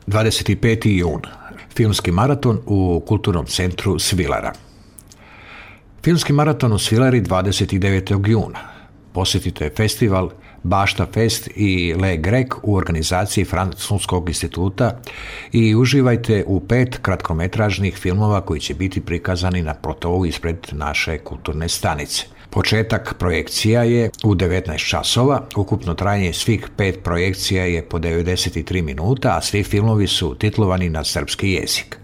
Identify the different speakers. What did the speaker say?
Speaker 1: 25. jun. Filmski maraton u Kulturnom centru Svilara. Filmski maraton u Svilari 29. juna. Posjetite festival Bašta Fest i Le Grec u organizaciji Francuskog instituta i uživajte u 5 kratkometražnih filmova koji će biti prikazani na plotovu ispred naše kulturne stanice. Početak projekcija je u 19 časova, ukupno trajanje svih 5 projekcija je po 93 minuta, a svi filmovi su titlovani na srpski jezik.